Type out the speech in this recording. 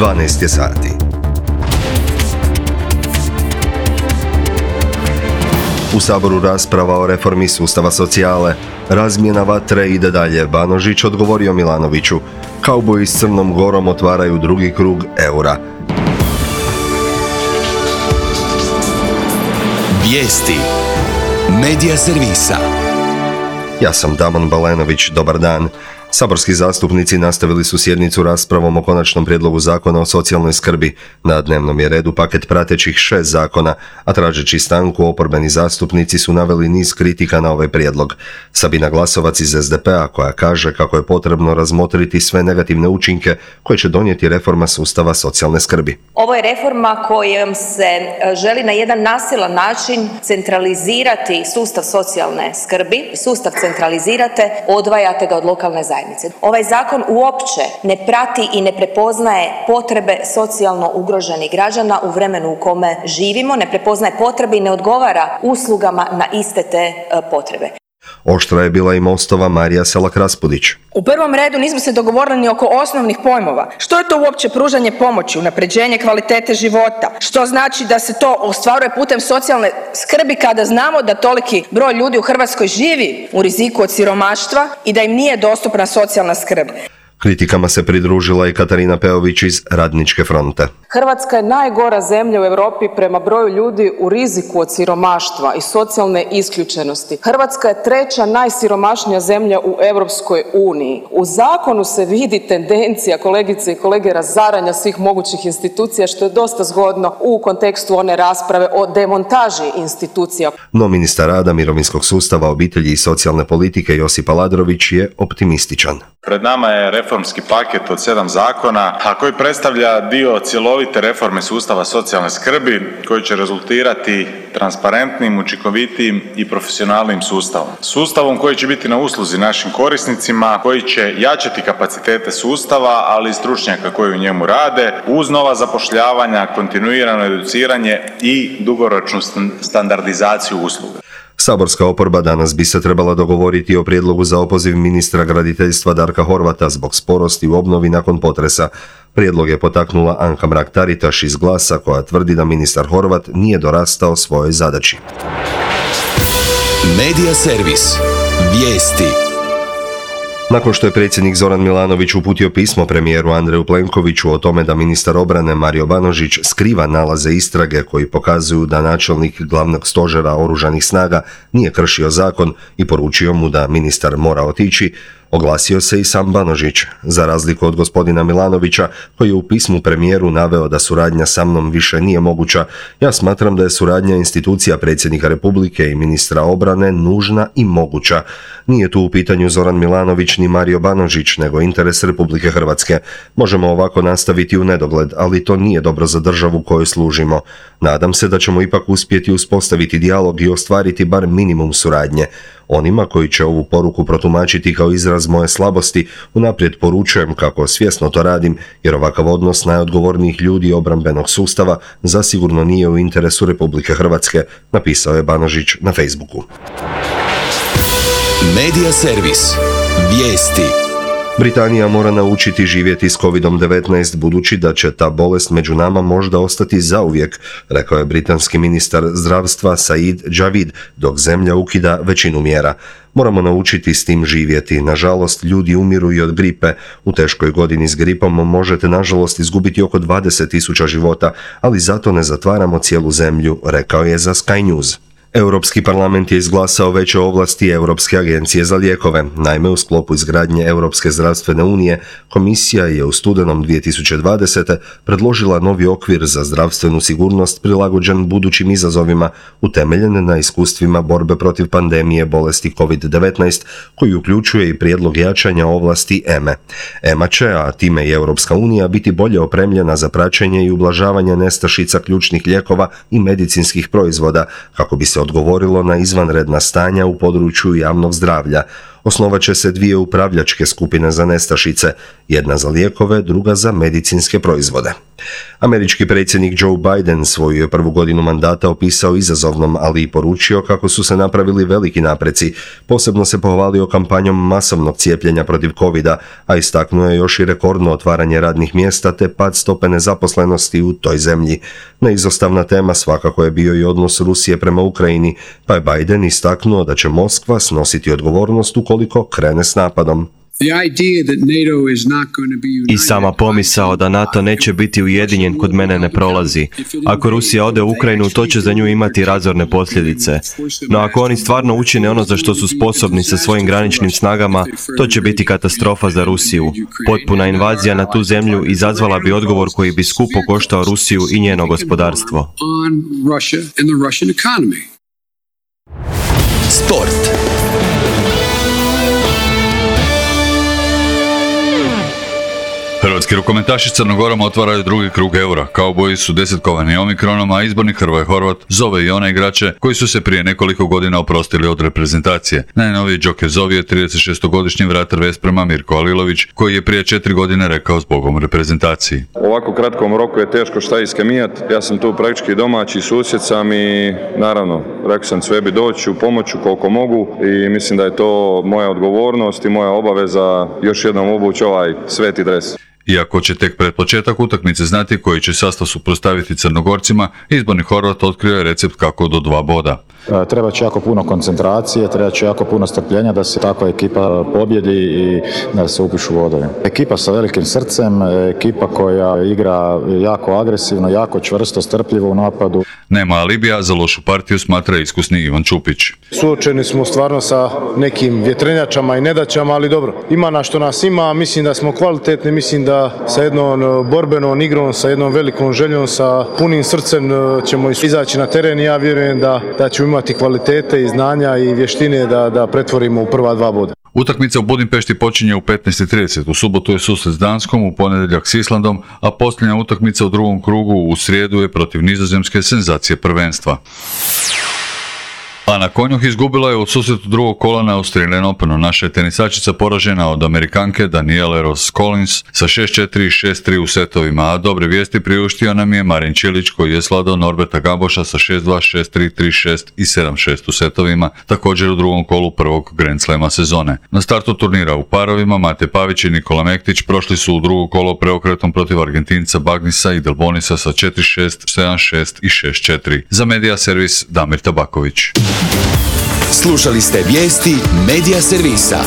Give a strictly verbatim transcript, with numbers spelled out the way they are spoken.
dvanaest je sati. U Saboru rasprava o reformi sustava socijale. Razmjena vatre ide dalje. Banožić odgovorio Milanoviću. Kauboji s Crnom Gorom otvaraju drugi krug eura. Vijesti Medija servisa. Ja sam Damon Balenović, dobar dan. Saborski zastupnici nastavili su sjednicu raspravom o konačnom prijedlogu zakona o socijalnoj skrbi. Na dnevnom je redu paket pratećih šest zakona, a tražeći stanku oporbeni zastupnici su naveli niz kritika na ovaj prijedlog. Sabina Glasovac iz es de pe a koja kaže kako je potrebno razmotriti sve negativne učinke koje će donijeti reforma sustava socijalne skrbi. Ovo je reforma kojom se želi na jedan nasilan način centralizirati sustav socijalne skrbi. Sustav centralizirate, odvajate ga od lokalne zajednice. Ovaj zakon uopće ne prati i ne prepoznaje potrebe socijalno ugroženih građana u vremenu u kome živimo, ne prepoznaje potrebe i ne odgovara uslugama na iste te potrebe. Oštra je bila i Mostova Marija Selak-Raspudić. U prvom redu nismo se dogovorili ni oko osnovnih pojmova. Što je to uopće pružanje pomoći, unapređenje kvalitete života? Što znači da se to ostvaruje putem socijalne skrbi kada znamo da toliki broj ljudi u Hrvatskoj živi u riziku od siromaštva i da im nije dostupna socijalna skrb? Kritikama se pridružila i Katarina Peović iz Radničke fronte. Hrvatska je najgora zemlja u Europi prema broju ljudi u riziku od siromaštva i socijalne isključenosti. Hrvatska je treća najsiromašnija zemlja u Europskoj uniji. U zakonu se vidi tendencija, kolegice i kolege, razaranja svih mogućih institucija, što je dosta zgodno u kontekstu one rasprave o demontaži institucija. No ministar rada, mirovinskog sustava, obitelji i socijalne politike Josip Aladrović je optimističan. Pred nama je reformski paket od sedam zakona, a koji predstavlja dio cjelovite reforme sustava socijalne skrbi, koji će rezultirati transparentnim, učinkovitijim i profesionalnim sustavom. Sustavom koji će biti na usluzi našim korisnicima, koji će jačati kapacitete sustava, ali i stručnjaka koji u njemu rade, uz nova zapošljavanja, kontinuirano educiranje i dugoročnu standardizaciju usluga. Saborska oporba danas bi se trebala dogovoriti o prijedlogu za opoziv ministra graditeljstva Darka Horvata zbog sporosti u obnovi nakon potresa. Prijedlog je potaknula Anka Mrak-Taritaš iz Glasa koja tvrdi da ministar Horvat nije dorastao svojoj zadaći. Medija servis. Vijesti. Nakon što je predsjednik Zoran Milanović uputio pismo premijeru Andreju Plenkoviću o tome da ministar obrane Mario Banožić skriva nalaze istrage koji pokazuju da načelnik glavnog stožera oružanih snaga nije kršio zakon i poručio mu da ministar mora otići, oglasio se i sam Banožić. Za razliku od gospodina Milanovića, koji je u pismu premijeru naveo da suradnja sa mnom više nije moguća, ja smatram da je suradnja institucija predsjednika Republike i ministra obrane nužna i moguća. Nije tu u pitanju Zoran Milanović ni Mario Banožić, nego interes Republike Hrvatske. Možemo ovako nastaviti u nedogled, ali to nije dobro za državu kojoj služimo. Nadam se da ćemo ipak uspjeti uspostaviti dijalog i ostvariti bar minimum suradnje. Onima koji će ovu poruku protumačiti kao izraz moje slabosti, unaprijed poručujem kako svjesno to radim, jer ovakav odnos najodgovornijih ljudi obrambenog sustava zasigurno nije u interesu Republike Hrvatske, napisao je Banožić na Facebooku. Medija servis. Vijesti. Britanija mora naučiti živjeti s kovid devetnaest budući da će ta bolest među nama možda ostati zauvijek, rekao je britanski ministar zdravstva Said Javid, dok zemlja ukida većinu mjera. Moramo naučiti s tim živjeti. Nažalost, ljudi umiru i od gripe. U teškoj godini s gripom možete nažalost izgubiti oko dvadeset tisuća života, ali zato ne zatvaramo cijelu zemlju, rekao je za Sky News. Europski parlament je izglasao veće ovlasti Europske agencije za lijekove. Naime, u sklopu izgradnje Europske zdravstvene unije, komisija je u studenom dvije tisuće dvadesete. predložila novi okvir za zdravstvenu sigurnost prilagođen budućim izazovima, utemeljen na iskustvima borbe protiv pandemije bolesti kovid devetnaest, koji uključuje i prijedlog jačanja ovlasti E M E. E M A će, a time i Europska unija, biti bolje opremljena za praćenje i ublažavanje nestašica ključnih lijekova i medicinskih proizvoda, kako bi se odgovorilo na izvanredna stanja u području javnog zdravlja. Osnovat će se dvije upravljačke skupine za nestašice, jedna za lijekove, druga za medicinske proizvode. Američki predsjednik Joe Biden svoju je prvu godinu mandata opisao izazovnom, ali i poručio kako su se napravili veliki napreci. Posebno se pohvalio kampanjom masovnog cijepljenja protiv covida, a istaknuo je još i rekordno otvaranje radnih mjesta te pad stope nezaposlenosti u toj zemlji. Neizostavna tema svakako je bio i odnos Rusije prema Ukrajini, pa je Biden istaknuo da će Moskva snositi odgovornost ukoliko krene s napadom. I sama pomisao da NATO neće biti ujedinjen kod mene ne prolazi. Ako Rusija ode u Ukrajinu, to će za nju imati razorne posljedice. No ako oni stvarno učine ono za što su sposobni sa svojim graničnim snagama, to će biti katastrofa za Rusiju. Potpuna invazija na tu zemlju izazvala bi odgovor koji bi skupo koštao Rusiju i njeno gospodarstvo. Sport. Hrvatski rukometaši s Crnogorom otvaraju drugi krug Eura. Kauboji su desetkovani omikronom, a izbornik Hrvoje Horvat zove i one igrače koji su se prije nekoliko godina oprostili od reprezentacije. Najnoviji Joker zovi je tridesetšestogodišnji vratar Vesprema Mirko Alilović, koji je prije četiri godine rekao zbogom reprezentaciji. U ovako kratkom roku je teško šta iskemijat. Ja sam tu praktički domaći, susjed sam i naravno, rekao sam sve bi doći u pomoću koliko mogu i mislim da je to moja odgovornost i moja obaveza još jednom obući ovaj sveti dres. Iako će tek pred početak utakmice znati koji će sastav suprotstaviti Crnogorcima, izborni Horvat otkrio je recept kako do dva boda. Treba će jako puno koncentracije, treba će jako puno strpljenja da se takva ekipa pobjedi i da se upišu vodovi. Ekipa sa velikim srcem, ekipa koja igra jako agresivno, jako čvrsto, strpljivo u napadu. Nema alibija, za lošu partiju smatra iskusni Ivan Čupić. Suočeni smo stvarno sa nekim vjetrenjačama i nedaćama, ali dobro, ima na što nas ima, mislim da smo kvalitetni, mislim da sa jednom borbenom igrom, sa jednom velikom željom, sa punim srcem ćemo izaći na teren i ja vjerujem da, da ćemo imati kvalitete i znanja i vještine da, da pretvorimo u prva dva boda. Utakmica u Budimpešti počinje u petnaest i trideset, u subotu je susret s Danskom, u ponedjeljak s Islandom, a posljednja utakmica u drugom krugu u srijedu je protiv Nizozemske, senzacije prvenstva. Ana Konjuh izgubila je u susretu drugog kola na Australian Openu. Naša je tenisačica poražena od Amerikanke Danielle Ross Collins sa šest četiri i šest tri u setovima, a dobre vijesti priuštio nam je Marin Čilić koji je svladao Norberta Gamboša sa šest dva, šest tri, tri šest i sedam šest u setovima, također u drugom kolu prvog Grand Slema sezone. Na startu turnira u parovima Mate Pavić i Nikola Mektić prošli su u drugo kolo preokretom protiv Argentinca Bagnisa i Delbonisa sa četiri šest, sedam šest i šest četiri. Za Media Servis Damir Tabaković. Slušali ste vijesti Media Servisa.